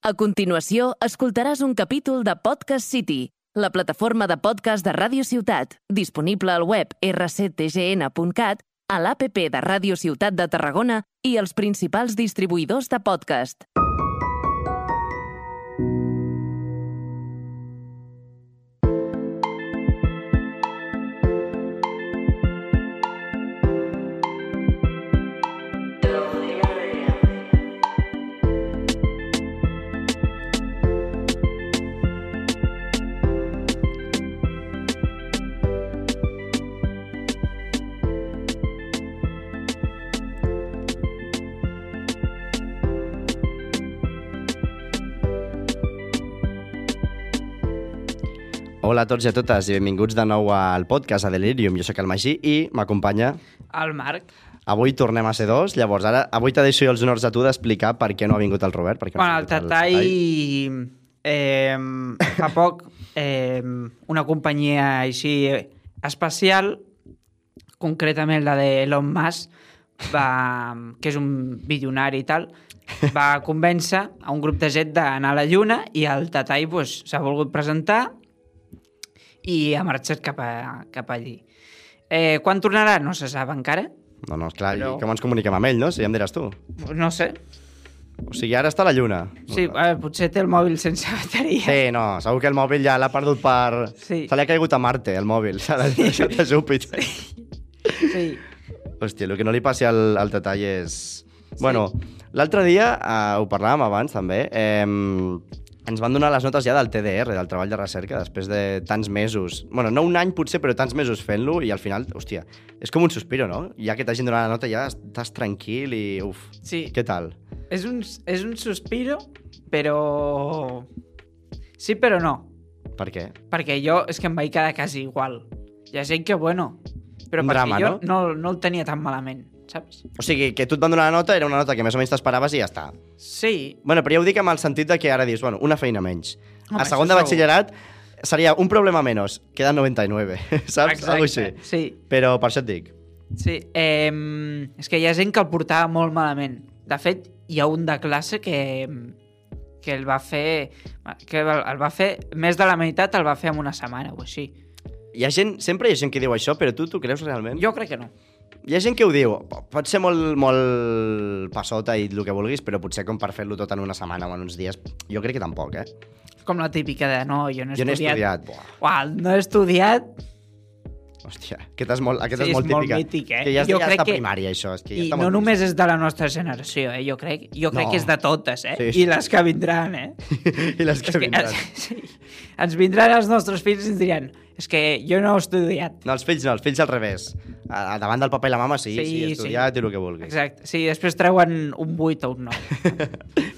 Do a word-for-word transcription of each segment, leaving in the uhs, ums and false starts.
A continuació, escoltaràs un capítol de Podcast City, la plataforma de podcast de Ràdio Ciutat, disponible al web erre ce te ge ene punt cat, a l'A P P de Ràdio Ciutat de Tarragona i els principals distribuïdors de podcast. Hola a tots i a totes i benvinguts de nou al podcast a Delirium. Jo sóc el Magí i m'acompanya el Marc. Avui tornem a ser dos, llavors ara avui t'ha deixo jo els honors a tu d'explicar per què no ha vingut el Robert. Per què no bueno, el Tatai, el eh, fa poc eh, una companyia així especial, concretament la d'Elon Musk, va, que és un bilionari i tal, va convèncer a un grup de gent d'anar a la Lluna i el Tatai pues, s'ha volgut presentar i ha marxat cap, a, cap allí. Eh, quan tornarà? No se sap encara. No, no, esclar, Però... i com ens comuniquem amb ell, no? Si ja em diràs tu. No sé. O sigui, ara està a la Lluna. Sí, eh, potser té el mòbil sense bateria. Sí, no, segur que el mòbil ja l'ha perdut per... Sí. Se li ha caigut a Marte, el mòbil. S'ha deixat a Júpiter. Sí. sí. Hòstia, el que no li passi al, al Tatai és... Sí. Bueno, l'altre dia, eh, ho parlàvem abans també, eh, ens van donar les notes ja del T D R, del treball de recerca, després de tants mesos. Bueno, no un any potser, però tants mesos fent-lo, i al final, hòstia, és com un sospiro, no? Ja que t'hagin donat la nota ja estàs tranquil i uf, sí. Què tal? És un, és un sospiro, però... Sí, però no. Per què? Perquè jo és que em vaig quedar quasi igual. Hi ha gent que, bueno... Però un perquè drama, jo no? no, no el tenia tan malament, saps? O sigui, que tu et van donar la nota, era una nota que més o menys t'esperaves i ja està. Sí. Bueno, però ja ho dic amb el sentit de que ara dius, bueno, una feina menys. Home, a segon de batxillerat seria un problema menys, queden noranta i nueve, saps? Exacte, Algo així. sí. Però per això et dic. Sí, eh, és que hi ha gent que el portava molt malament. De fet, hi ha un de classe que, que el va fer... que el va fer... Més de la meitat el va fer en una setmana o així. Hi ha gent, sempre hi ha gent que diu això, però tu t'ho creus realment? Jo crec que no. Hi ha gent que ho diu, pot ser molt, molt passota i el que vulguis, però potser com per fer-lo tot en una setmana o en uns dies, jo crec que tampoc, eh? Com la típica de, no, jo no he jo estudiat. Jo n'he estudiat, buah. Uau, no he estudiat... Hòstia, aquesta és molt, aquesta sí, és molt és típica. Molt mític, eh? Que ja, jo ja crec està que... primària, això. És que ja I està no molt només vist. és de la nostra generació, eh? Jo crec, jo crec no. que és de totes, eh? Sí, sí. I les que vindran, eh? I les que és vindran. Que, sí. Ens vindran els nostres fills i ens diran és que jo no he estudiat. No, els fills no, els fills al revés. A, a davant del papa i la mama, sí, sí, sí he estudiat sí. I el que vulguis. Exacte, sí, després treuen un vuit o un nou.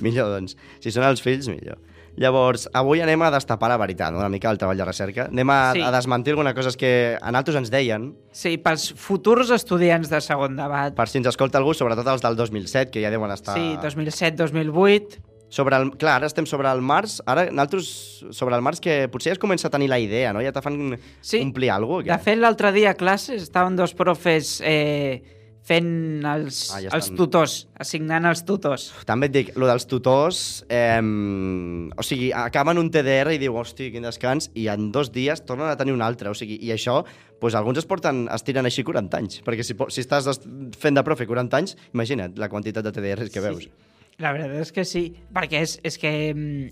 Millor, doncs. Si són els fills, millor. Llavors, avui anem a destapar la veritat, no? Una mica el treball de recerca. Anem a, sí. a desmentir algunes coses que a nosaltres ens deien. Sí, pels futurs estudiants de segon debat. Per si ens escolta algú, sobretot els del dos mil set, que ja deuen estar... Sí, dos mil set dos mil vuit... Sobre el, clar, ara estem sobre el març, ara nosaltres sobre el març que potser ja es comença a tenir la idea, no? Ja te fan sí. omplir alguna cosa. De fet, l'altre dia a classes estaven dos profes eh, fent els, ah, ja els tutors, assignant els tutors. També et dic, lo dels tutors, eh, o sigui, acaben un T D R i diu, hosti, quin descans, i en dos dies tornen a tenir un altre, o sigui, i això, doncs alguns es porten, es tiren així quaranta anys, perquè si, si estàs fent de profe quaranta anys, imagina't la quantitat de T D Rs que sí. veus. La veritat és que sí, perquè és, és que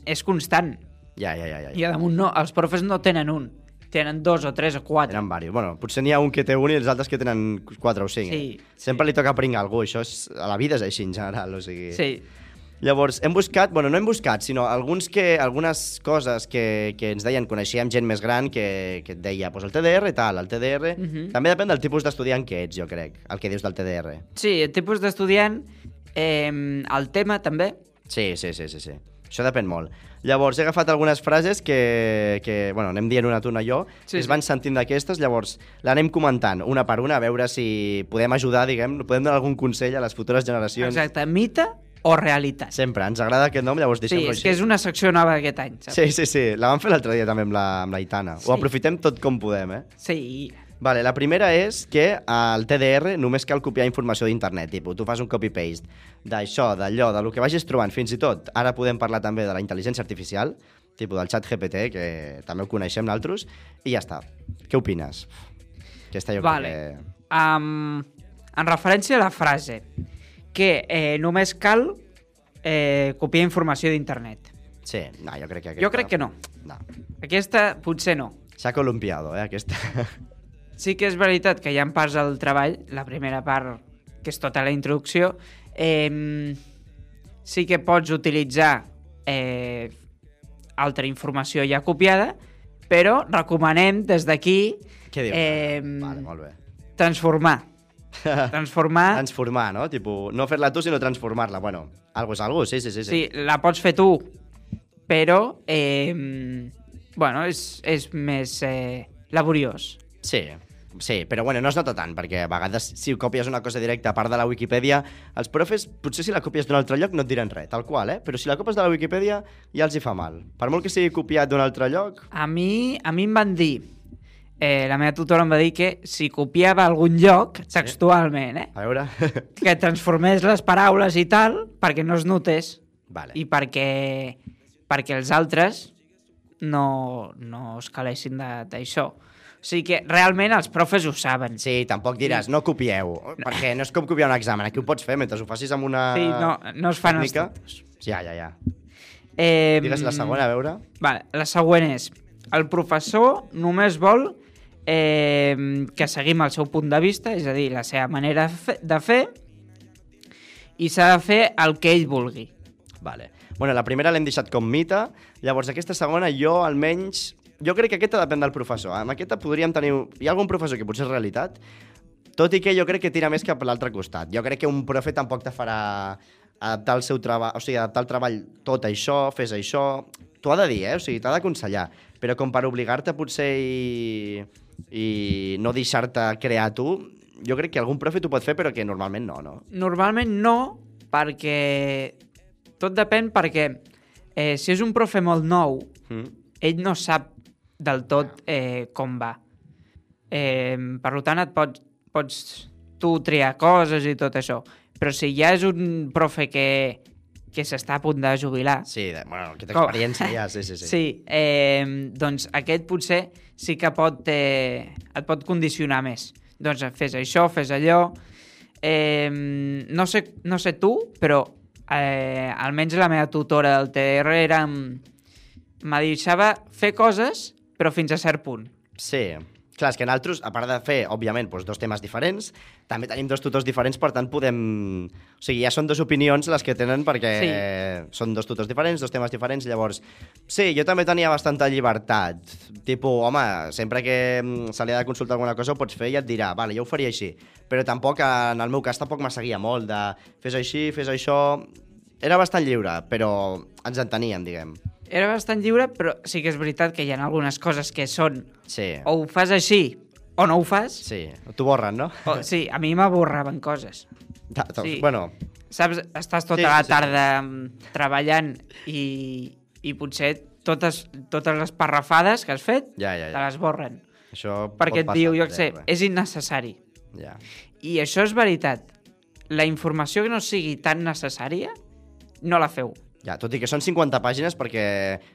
és constant. Ja, ja, ja, ja. I a damunt no, els profes no tenen un, tenen dos o tres o quatre. Tenen diversos. Bueno, potser n'hi ha un que té un i els altres que tenen quatre o cinc. Sí, eh? Sempre sí. li toca pringar a algú, això és, a la vida és així en general, o sigui... Sí. Llavors, hem buscat, bueno, no hem buscat, sinó alguns que, algunes coses que, que ens deien, coneixíem gent més gran que, que et deia, pues el T D R tal, el T D R... Uh -huh. També depèn del tipus d'estudiant que ets, jo crec, el que dius del T D R. Sí, el tipus d'estudiant, eh, el tema també... Sí, sí, sí, sí, sí. Això depèn molt. Llavors, he agafat algunes frases que, que bueno, anem dient una tuna jo, sí, es van sí. sentint d'aquestes, llavors l'anem comentant una per una, a veure si podem ajudar, diguem, podem donar algun consell a les futures generacions. Exacte, mite o realitat. Sempre, ens agrada aquest nom, llavors deixem-lo així. Sí, és així. que és una secció nova aquest any, saps? Sí, sí, sí, la vam fer l'altre dia també amb la, amb la Itana. Sí. Ho aprofitem tot com podem, eh? Sí. Vale, la primera és que al T D R només cal copiar informació d'internet, tipus, tu fas un copy-paste d'això, d'allò, de lo que vagis trobant, fins i tot, ara podem parlar també de la intel·ligència artificial, tipus del xat G P T, que també ho coneixem nosaltres, i ja està. Què opines? Aquesta jo vale. crec que... Um, en referència a la frase, que eh, només cal eh, copiar informació d'internet. Sí, no, jo crec que aquesta... Jo crec que no. No. Aquesta potser no. S'ha columpiado, eh, aquesta. Sí que és veritat que hi ha parts del treball, la primera part, que és tota la introducció, eh, sí que pots utilitzar eh, altra informació ja copiada, però recomanem des d'aquí Què dius? eh, Vale, molt bé. transformar. Transformar... Transformar, no? Tipo, no fer-la tu, sinó transformar-la. Bueno, algo és algo, sí, sí, sí. Sí, la pots fer tu, però eh, bueno, és, és més eh, laboriós. Sí, sí, però bueno, no es nota tant, perquè a vegades si copies una cosa directa a part de la Wikipedia, els profes, potser si la copies d'un altre lloc no et diran res, tal qual, eh? Però si la copies de la Wikipedia ja els hi fa mal. Per molt que sigui copiat d'un altre lloc... A mi, a mi em van dir, eh, la meva tutora em va dir que si copiava a algun lloc, textualment, eh, A veure... que transformés les paraules i tal, perquè no es notés, Vale. i perquè, perquè els altres no, no es calessin de- d'això. O sigui que realment els profes ho saben. Sí, tampoc diràs, no copieu, perquè no és com copiar un examen, aquí ho pots fer mentre ho facis amb una Sí, no, no es fan els tècnica. tontos. Ja, ja, ja. Eh, Digues la segona, a veure. Vale, la següent és, el professor només vol eh, que seguim el seu punt de vista, és a dir, la seva manera de fer, i s'ha de fer el que ell vulgui. Vale. Bueno, la primera l'hem deixat com mite, llavors aquesta segona jo almenys... Jo crec que aquesta depèn del professor. Amb aquesta podríem tenir... Hi ha algun professor que potser és realitat, tot i que jo crec que tira més cap a l'altre costat. Jo crec que un profe tampoc te farà adaptar el seu treball, o sigui, adaptar el treball tot això, fes això... T'ho ha de dir, eh? O sigui, t'ha d'aconsellar. Però com per obligar-te potser i, i no deixar-te crear tu, jo crec que algun profe t'ho pot fer, però que normalment no, no? Normalment no, perquè... Tot depèn perquè eh, si és un profe molt nou, Mm. ell no sap del tot eh, com va. Eh, per tant, et pots, pots tu triar coses i tot això. Però si ja és un profe que, que s'està a punt de jubilar... Sí, de, bueno, aquesta Com? experiència ja, sí, sí, sí. Sí, eh, doncs aquest potser sí que pot, eh, et pot condicionar més. Doncs fes això, fes allò... Eh, no, sé, no sé tu, però eh, almenys la meva tutora del T D R era... me deixava fer coses, però fins a cert punt. Sí. Clar, és que nosaltres, a part de fer, òbviament, doncs, dos temes diferents, també tenim dos tutors diferents, per tant, podem... O sigui, ja són dues opinions les que tenen, perquè Sí. són dos tutors diferents, dos temes diferents, llavors... Sí, jo també tenia bastanta llibertat. Tipo, home, sempre que mm, se li ha de consultar alguna cosa ho pots fer i et dirà, vale, jo ho faria així. Però tampoc, en el meu cas, tampoc me seguia molt de fes així, fes això... Era bastant lliure, però ens enteníem, diguem. Era bastant lliure, però sí que és veritat que hi ha algunes coses que són Sí. o ho fas així o no ho fas. Sí, t'ho borren, no? O, sí, a mi m'avorraven coses. Ta- ta- Sí. Bueno, Saps, estàs tota Sí, la sí. tarda mm, treballant i, i potser totes, totes les parrafades que has fet ja, ja, te ja. les borren. Això Perquè pot et diu, passar, jo què sé, res. és innecessari. Ja. I això és veritat. La informació que no sigui tan necessària, no la feu. Ja, tot i que són cinquanta pàgines, perquè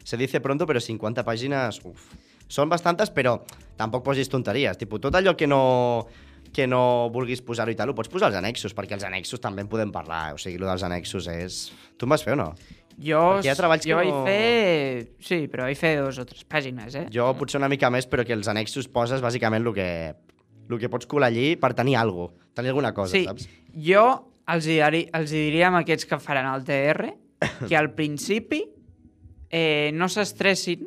se dice pronto, però cinquanta pàgines, uf, són bastantes, però tampoc posis tonteries. Tipo, tot allò que no, que no vulguis posar-ho i tal, ho pots posar als annexos, perquè els annexos també en podem parlar. O sigui, el dels annexos és... Tu en vas fer o no? Jo, Perquè hi ha treballs que jo vaig no- fer... Sí, però vaig fer dos o tres pàgines, eh? Jo potser una mica més, però que els annexos poses bàsicament el que, el que pots colar allí per tenir alguna cosa, tenir alguna cosa, Sí, saps? jo els, hi dari, els hi diria amb aquests que faran el T R que al principi eh, no s'estressin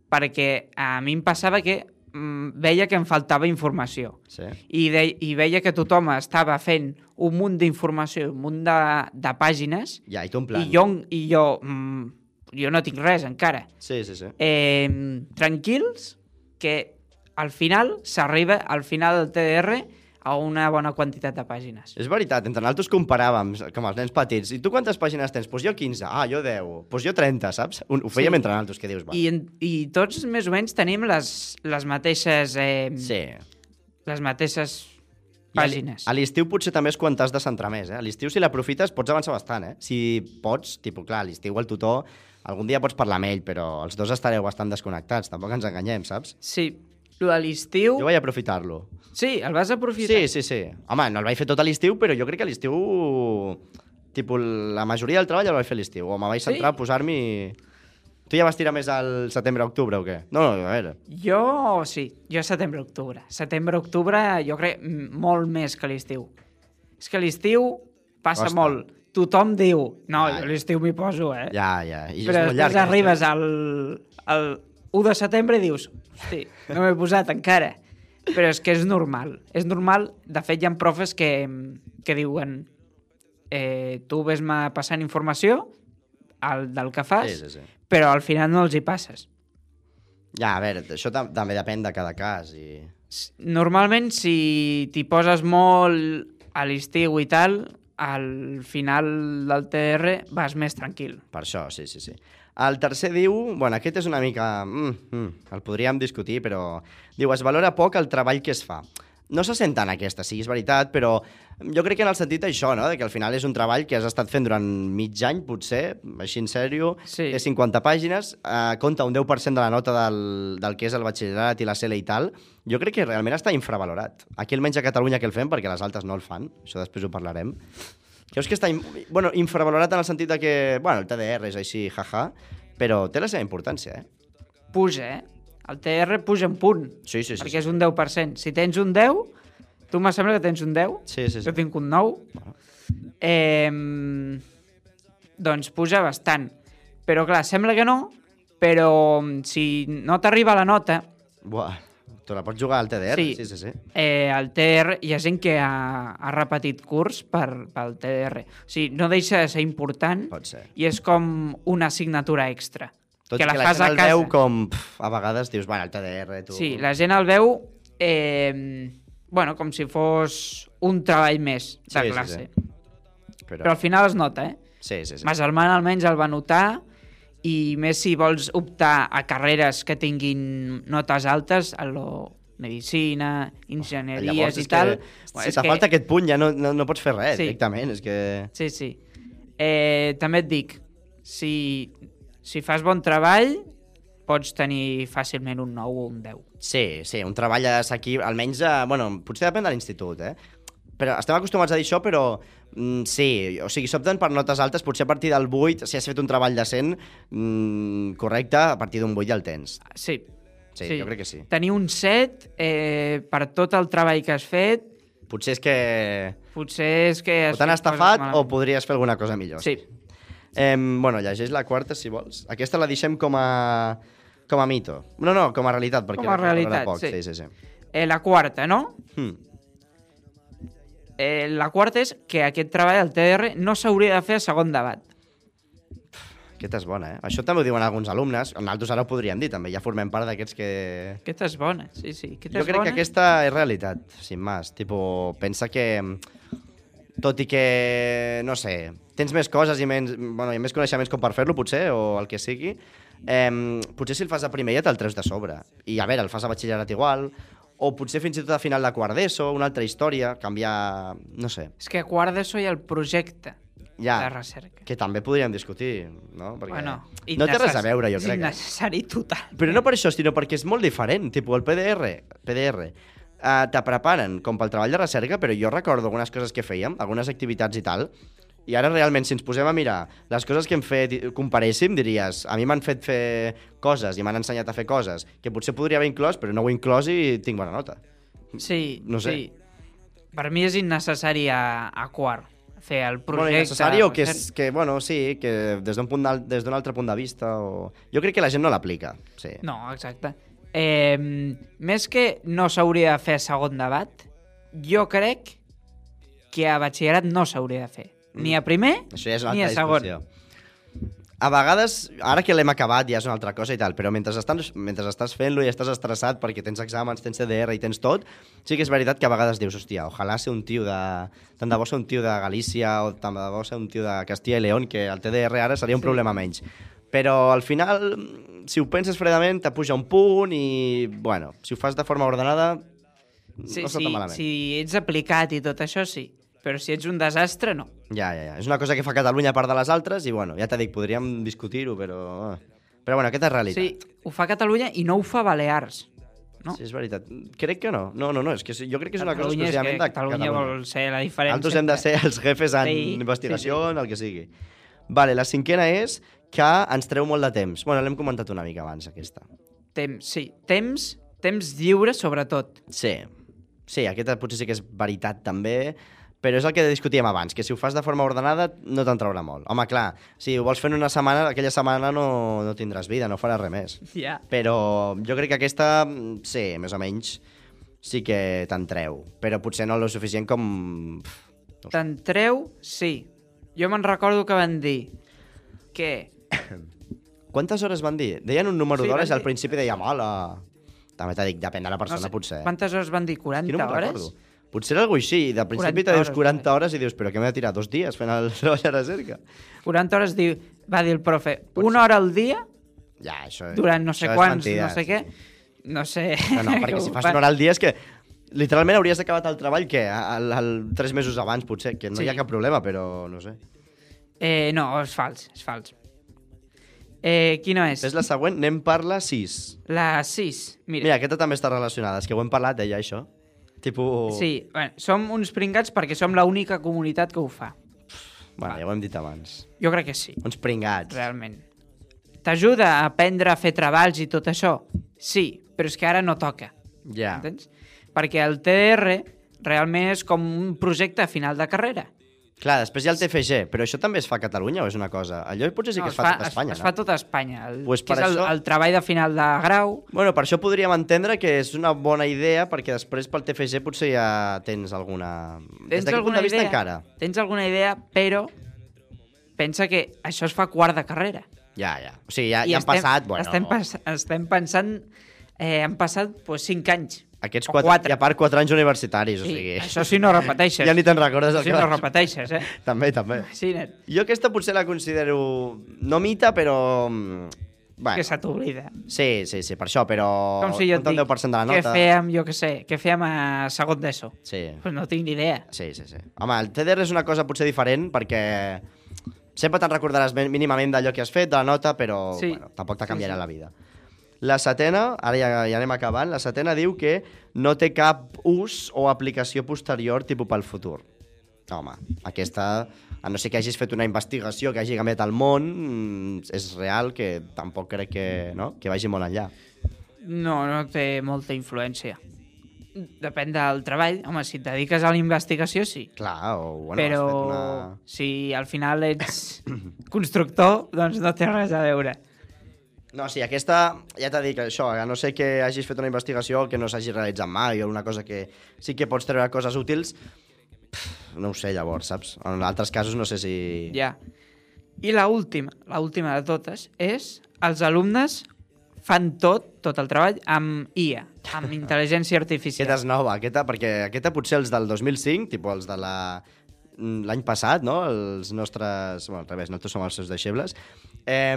perquè a mi em passava que mm, veia que em faltava informació Sí. i, de, i veia que tothom estava fent un munt d'informació, un munt de, de pàgines Ja, i tu en plan... i jo, i jo, mm, jo no tinc res encara. Sí, sí, sí. Eh, tranquils, que al final s'arriba al final del T D R a una bona quantitat de pàgines. És veritat, entre nosaltres comparàvem, com els nens petits. I tu quantes pàgines tens? Doncs pues jo quinze. Ah, jo deu. Doncs pues jo trenta, saps? Un, ho fèiem Sí. entre nosaltres, que dius, va. I, en- I tots més o menys tenim les, les mateixes... Eh, Sí. les mateixes I a l- pàgines. A l'estiu potser també és quan t'has de centrar més, eh? A l'estiu, si l'aprofites, pots avançar bastant, eh? Si pots, tipus, clar, a l'estiu el tutor, algun dia pots parlar amb ell, però els dos estareu bastant desconnectats, tampoc ens enganyem, saps? Sí, lo de l'estiu... Jo vaig aprofitar-lo. Sí, el vas aprofitar. Sí, sí, sí. Home, no el vaig fer tot a l'estiu, però jo crec que a l'estiu... Tipus, la majoria del treball el vaig fer a l'estiu. O me vaig centrar Sí? a posar-m'hi... Tu ja vas tirar més al setembre-octubre o què? No, no, a veure. Jo sí, jo setembre-octubre. Setembre-octubre jo crec mm, molt més que l'estiu. És que l'estiu passa Costa. molt. Tothom diu, no, Ja, jo ja. a l'estiu m'hi poso, eh? Ja, ja. I Però és molt després llarg. eh? arribes al, al u de setembre i dius, hosti, no m'he posat encara. Però és que és normal. És normal. De fet, hi ha profes que, que diuen eh, tu ves-me passant informació el, del que fas, Sí, sí, sí. però al final no els hi passes. Ja, a veure, això tam també depèn de cada cas. I... S- Normalment, si t'hi poses molt a l'estiu i tal, al final del T D R vas més tranquil. Per això, sí, sí, sí. El tercer diu... Bueno, aquest és una mica... Mm, mm, el podríem discutir, però... Diu, es valora poc el treball que es fa. No se sent tant aquesta, sí, és veritat, però jo crec que en el sentit això, no?, de que al final és un treball que has estat fent durant mig any, potser, així en sèrio, Sí. té cinquanta pàgines, eh, compta un deu per cent de la nota del, del que és el batxillerat i la C L i tal. Jo crec que realment està infravalorat. Aquí almenys a Catalunya que el fem, perquè les altres no el fan, això després ho parlarem. Creus que està in... bueno, infravalorat en el sentit de que, bueno, el T D R és així, jaja, però té la seva importància, eh? Puja, eh? El T D R puja un punt, Sí, sí, sí. perquè sí. és un deu per cent. Si tens un deu, tu me sembla que tens un deu, Sí, sí, sí. jo tinc un nou, eh, doncs puja bastant. Però clar, sembla que no, però si no t'arriba la nota, Buah, te la pots jugar al T D R, Sí. sí, sí, sí. eh, el T D R hi ha gent que ha, ha repetit curs per, pel T D R. O sigui, no deixa de ser important Pot ser. i és com una assignatura extra. Tot que i la que la fas gent a el casa. veu com... Pff, a vegades dius, bueno, el T D R, tu... Sí, la gent el veu eh, bueno, com si fos un treball més de Sí, sí, classe. sí. Però Però... al final es nota, eh? Sí, sí, sí. Ma germana almenys el va notar i més si vols optar a carreres que tinguin notes altes, a lo medicina, enginyeries Llavors, i és tal... Que, Bueno, si és te que- falta aquest punt ja no, no, no pots fer res, Sí. directament. És que... Sí, sí. Eh, també et dic, si, si fas bon treball, pots tenir fàcilment un nou o un deu. Sí, sí, un treball aquí, almenys, a, bueno, potser depèn de l'institut, eh? Però estem acostumats a dir això, però mm, sí, o sigui, s'opten per notes altes, potser a partir del vuit, si has fet un treball decent, mm, correcte, a partir d'un vuit ja el tens. Sí. Sí, jo crec que sí. Tenir un set eh, per tot el treball que has fet, Potser és que potser és que... o has t'han fet coses estafat o malament. podries fer alguna cosa millor. Sí. Eh, bueno, llegeix la quarta, si vols. Aquesta la deixem com a, com a mito. No, no, com a realitat, perquè Com a la recordarà realitat, poc. sí. Sí, sí, sí. Eh, la quarta, no? Hmm. Eh, la quarta és que aquest treball al T D R no s'hauria de fer a segon debat. Aquesta és bona, eh? Això també ho diuen alguns alumnes. Nosaltres ara ho podríem dir, també. Ja formem part d'aquests que... Aquesta és bona, sí, sí. Aquesta Jo és crec bona. que aquesta és realitat, sin más. Tipo, pensa que, tot i que, no sé, tens més coses i menys, bueno, i més coneixements com per fer-lo, potser, o el que sigui, eh, potser si el fas a primer ja te'l treus de sobre. I, a veure, el fas a batxillerat igual, o potser fins i tot a final de quart d'ESO, una altra història, canviar... no sé. És que a quart d'ESO hi ha el projecte Ja, de recerca. que també podríem discutir, no? Perquè Bueno, no té res a innecess- veure, jo és crec. eh? innecessari total. Però no per això, sinó perquè és molt diferent. Tipo, el P D R, P D R uh, te preparen com pel treball de recerca, però jo recordo algunes coses que fèiem, algunes activitats i tal, i ara realment, si ens posem a mirar les coses que hem fet, i comparéssim, diries, a mi m'han fet fer coses i m'han ensenyat a fer coses que potser podria haver inclòs, però no ho he inclòs i tinc bona nota. Sí, No sé. sí. Per mi és innecessari a, a quart fer el projecte. Bueno, necessari o que, recerca. és, que, bueno, sí, que des d'un punt d'al- des d'un altre punt de vista o... Jo crec que la gent no l'aplica, sí. No, exacte. Eh, més que no s'hauria de fer segon debat, jo crec que a batxillerat no s'hauria de fer. Ni a primer, Això ja és una ni a altra segon. discussió. A vegades, ara que l'hem acabat ja és una altra cosa i tal, però mentre estàs, mentre estàs fent-lo i estàs estressat perquè tens exàmens, tens C D R i tens tot, sí que és veritat que a vegades dius, hòstia, ojalà ser un tio de... Tant de bo ser un tio de Galícia o tant de bo ser un tio de Castilla i León, que el T D R ara seria un Sí. problema menys. Però al final, si ho penses fredament, te puja un punt i, bueno, si ho fas de forma ordenada, Sí, no està sí, tan malament. si ets aplicat i tot això, sí. Però si ets un desastre, no. Ja, ja, ja. És una cosa que fa Catalunya a part de les altres i, bueno, ja t'he dit, podríem discutir-ho, però... Però, bueno, aquesta és realitat. Sí, ho fa Catalunya i no ho fa Balears. No? Sí, és veritat. Crec que no. No, no, no. És que jo crec que és una cosa Catalunya és exclusivament que de Catalunya Catalunya. vol ser la diferència. Nosaltres hem de ser els jefes en Sí, investigació, sí, en el que sigui. Vale, la cinquena és que ens treu molt de temps. Bueno, l'hem comentat una mica abans, aquesta. Temps, sí. Temps, temps lliure, sobretot. Sí. Sí, aquesta potser sí que és veritat també, però és el que discutíem abans, que si ho fas de forma ordenada no te'n traurà molt. Home, clar, si ho vols fer en una setmana, aquella setmana no, no tindràs vida, no faràs res més. Ja. Però jo crec que aquesta, sí, més o menys, sí que te'n treu. Però potser no el suficient com... No sé. Te'n treu, sí. Jo me'n recordo que van dir que... Quantes hores van dir? Deien un número Sí, d'hores i van al dir- principi dèiem, hola... També t'ha dit, depèn de la persona, no sé, potser. Quantes hores van dir? Que no quaranta me'n hores? recordo. Potser era alguna així, i de principi quaranta te dius hores, quaranta hores i dius, però què m'he de tirar dos dies fent el treball de recerca? quaranta hores diu, va dir el profe. Pot Una hora al dia, Ja, això... durant no sé això és quants, mentida, no sé sí, què. sí. No sé... No, no, perquè si fas una hora al dia és que literalment hauries acabat el treball, què? Al, al, tres mesos abans, potser, que no Sí. hi ha cap problema, però no sé. Eh, no, és fals, és fals. Eh, quina és? És la següent, anem per la sis. La sis. Mira, Mira, aquesta també està relacionada, és que ho hem parlat, deia això. Tipo... sí, bueno, som uns pringats perquè som l'única comunitat que ho fa. Bueno, ja ho hem dit abans. Jo crec que sí, Uns pringats. realment. T'ajuda a aprendre a fer treballs i tot això? Sí, però és que ara no toca. Ja. Entens? Perquè el T D R realment és com un projecte a final de carrera. Clar, després hi ha el T F G, però això també es fa a Catalunya o és una cosa? Allò potser sí que No, es fa a tot Espanya, es, no? es fa tot a Espanya. El, Pues que per és el, això- el treball de final de grau. Bueno, per això podríem entendre que és una bona idea, perquè després pel T F G potser ja tens alguna... Des Tens d'aquest punt alguna de vista idea? encara. Tens alguna idea, però pensa que això es fa quart de carrera. Ja, ja. O sigui, ja, I ja han estem, passat... Bueno, estem, pas, estem pensant... Eh, han passat pues, cinc anys. aquests o quatre, quatre. i a part quatre anys universitaris, o Sí, sigui... això sí no repeteixes. Ja ni te'n recordes el Això sí que no vas- repeteixes, eh? També, també. Sí, net. Jo aquesta potser la considero... No mita, però... mm, Bueno, Que se t'oblida. sí, sí, sí, per això, però... Com si jo et compta un dic, deu per cent de la què nota. fèiem, jo què sé, què fèiem a segon d'ESO? Sí. Pues no tinc ni idea. Sí, sí, sí. Home, el T D R és una cosa potser diferent perquè sempre te'n recordaràs ben- mínimament d'allò que has fet, de la nota, però Sí. bueno, tampoc te Sí, canviarà sí. la vida. La setena, ara ja, ja anem acabant, la setena diu que no té cap ús o aplicació posterior tipus pel futur. Home, aquesta, a no ser que hagis fet una investigació que hagi canviat el món, mm, és real que tampoc crec que, no? que vagi molt enllà. No, no té molta influència. Depèn del treball. Home, si et dediques a la investigació, sí. Clar, o bueno, Però has fet una... si al final ets constructor, doncs no té res a veure. No, sí, aquesta, ja t'he dit que això, a no ser que hagis fet una investigació o que no s'hagi realitzat mai o una cosa que sí que pots treure coses útils, pff, no ho sé llavors, saps? En altres casos no sé si... Ja. I la última, la última de totes, és els alumnes fan tot, tot el treball, amb I A, amb intel·ligència artificial. Aquesta és nova, aquesta, perquè aquesta potser els del dos mil cinc, tipus els de la l'any passat, no? Els nostres... Bueno, al revés, nosaltres som els seus deixebles. Eh,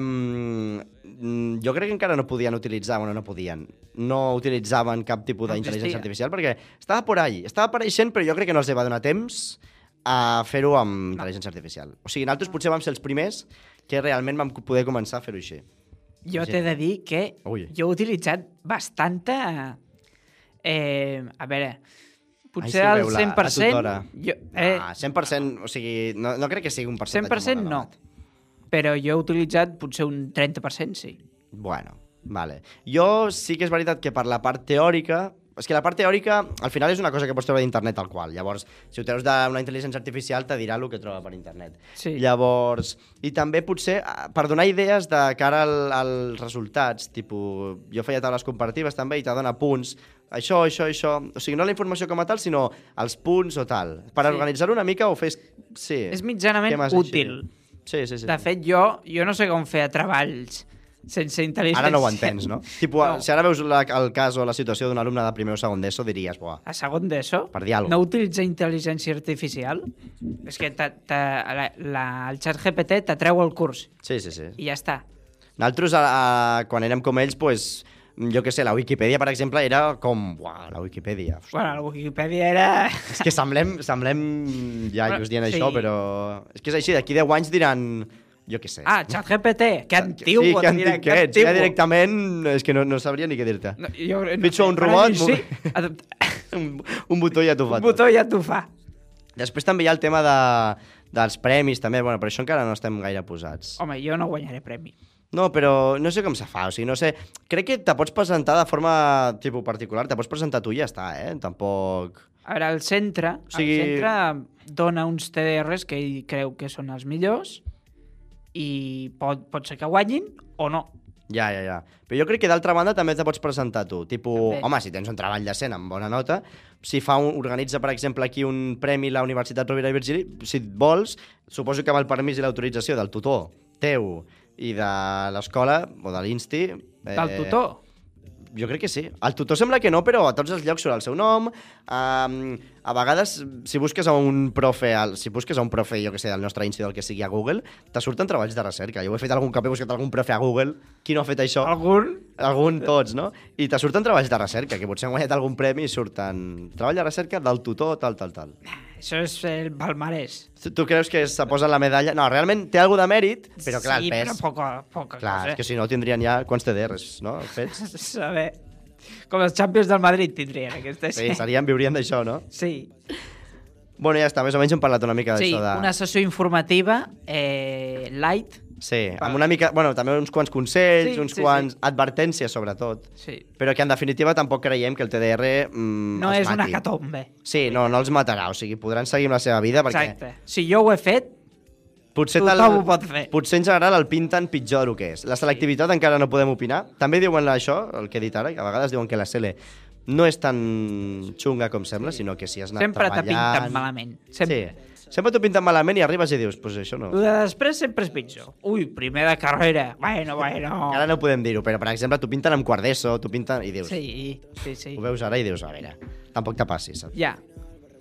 jo crec que encara no podien utilitzar, bueno, no podien, no utilitzaven cap tipus No d'intel·ligència existia. artificial perquè estava por ahí, estava apareixent, però jo crec que no els va donar temps a fer-ho amb intel·ligència artificial. O sigui, nosaltres potser vam ser els primers que realment vam poder començar a fer-ho així. Jo t'he de dir que Ui. jo he utilitzat bastanta... Eh, a veure, potser Ai, sí, el veu la- cent per la cent... tutora. Jo, eh, Ah, cent per cent, o sigui, no, no crec que sigui un percentatge cent per cent molt no, elevat. però jo he utilitzat potser un trenta per cent, sí. Bueno, vale. Jo sí que és veritat que per la part teòrica... És que la part teòrica, al final, és una cosa que pots treure d'internet tal qual. Llavors, si ho treus d'una intel·ligència artificial, te dirà el que troba per internet. Sí. Llavors, i també potser ah, per donar idees de cara al, als resultats, tipus, jo feia taules comparatives també i te dona punts, això, això, això... O sigui, no la informació com a tal, sinó els punts o tal. Per Sí. organitzar-ho una mica o fes... Sí. És mitjanament temes útil. Així. Sí, sí, sí. De fet, jo, jo no sé com fer treballs sense intel·ligència. Ara no ho entens, no? Tipo, No. si ara veus la, el cas o la situació d'un alumne de primer o segon d'ESO, diries, buah, A segon d'ESO? Per dir alguna No utilitza intel·ligència artificial? És que ta, ta, la, la, el xat G P T t'atreu el curs sí, sí, sí. i ja està. Nosaltres, a, a, quan érem com ells, pues, jo què sé, la Wikipedia, per exemple, era com... Uau, la Wikipedia. Hosti. Bueno, la Wikipedia era... És que semblem, semblem ja Bueno, us dient sí. això, però... És que és així, d'aquí deu anys diran... Jo què sé. Ah, ChatGPT, que antiu. Sí, que diré, antic que ets. Ja directament és que no, no sabria ni què dir-te. No, jo, no Pitjor sé, un per robot, mi Sí, un, un botó ja t'ho fa un tot. botó ja t'ho fa. Després també hi ha el tema de, dels premis, també. Bueno, per això encara no estem gaire posats. Home, jo no guanyaré premi. No, però no sé com se fa, o sigui, no sé... Crec que te pots presentar de forma tipus particular, te pots presentar tu i ja està, eh? Tampoc... A veure, el centre, O sigui- el centre dona uns T D Rs que ell creu que són els millors i pot, pot ser que guanyin o no. Ja, ja, ja. Però jo crec que d'altra banda també te pots presentar tu. Tipo, També. home, si tens un treball decent amb bona nota, si fa un, organitza, per exemple, aquí un premi la Universitat Rovira i Virgili, si et vols, suposo que amb el permís i l'autorització del tutor teu i de l'escola o de l'Insti... Eh, Del tutor. Jo crec que sí. El tutor sembla que no, però a tots els llocs surt el seu nom. Um, a vegades, si busques a un profe, al- si busques a un profe, jo que sé, del nostre Insti, del que sigui a Google, te surten treballs de recerca. Jo ho he fet algun cop, he buscat algun profe a Google. Qui no ha fet això? Algun? Algun, tots, no? I te surten treballs de recerca, que potser han guanyat algun premi i surten treball de recerca del tutor, tal, tal, tal. Això és el palmarès. Tu, tu creus que se posa la medalla? No, realment té alguna de mèrit, però clar, sí, el pes... però poca, poca Clar, cosa. és que si no tindrien ja quants T D Rs, no? Fets. Saber. Com els Champions del Madrid tindrien aquestes. Sí, serien, viurien d'això, no? Sí. Bueno, ja està, més o menys hem parlat una mica Sí, d'això de... una sessió informativa eh, light. Sí, amb una mica... Bueno, també uns quants consells, Sí, uns sí, quants sí. advertències, sobretot. Sí. Però que, en definitiva, tampoc creiem que el T D R mm, No els és una mati. catombe. Sí, no, no els matarà. O sigui, podran seguir amb la seva vida perquè... Exacte. Si jo ho he fet, Potser tothom ho pot fer. Potser en general el pinten pitjor del que és. La selectivitat encara no podem opinar. També diuen això, el que he dit ara, que a vegades diuen que la C L no és tan xunga com sembla, sinó que si has anat sempre te treballant... pinten malament. Sempre. Sí, sempre t'ho pinten malament i arribes i dius, pues això no... El de després sempre és pitjor. Ui, primer de carrera. Bueno, bueno. Ara no podem dir-ho, però per exemple t'ho pinten amb quart d'ESO, t'ho pinten i dius... Sí, sí, sí. Ho veus ara i dius, a veure, tampoc te passis, saps? Ja.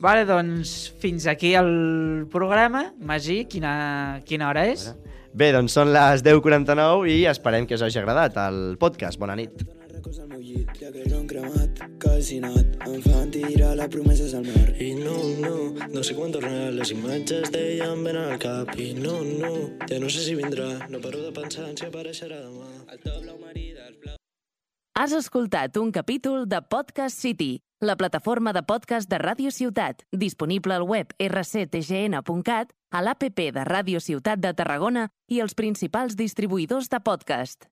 Vale, doncs fins aquí el programa. Magí, quina, quina hora és? Bé, doncs són les deu quaranta-nou i esperem que us hagi agradat el podcast. Bona nit. Records al meu llit, ja que l'han cremat, calcinat, em fan tirar les promeses al mar. I no, no, no sé quan tornarà, les imatges d'ella em venen al cap. I no, no, ja no sé si vindrà, no paro de pensar en si apareixerà demà. El top blau marí dels blaus. Has escoltat un capítol de Podcast City, la plataforma de podcast de Ràdio Ciutat, disponible al web erre ce te ge ene punt cat, a l'A P P de Ràdio Ciutat de Tarragona i els principals distribuïdors de podcast.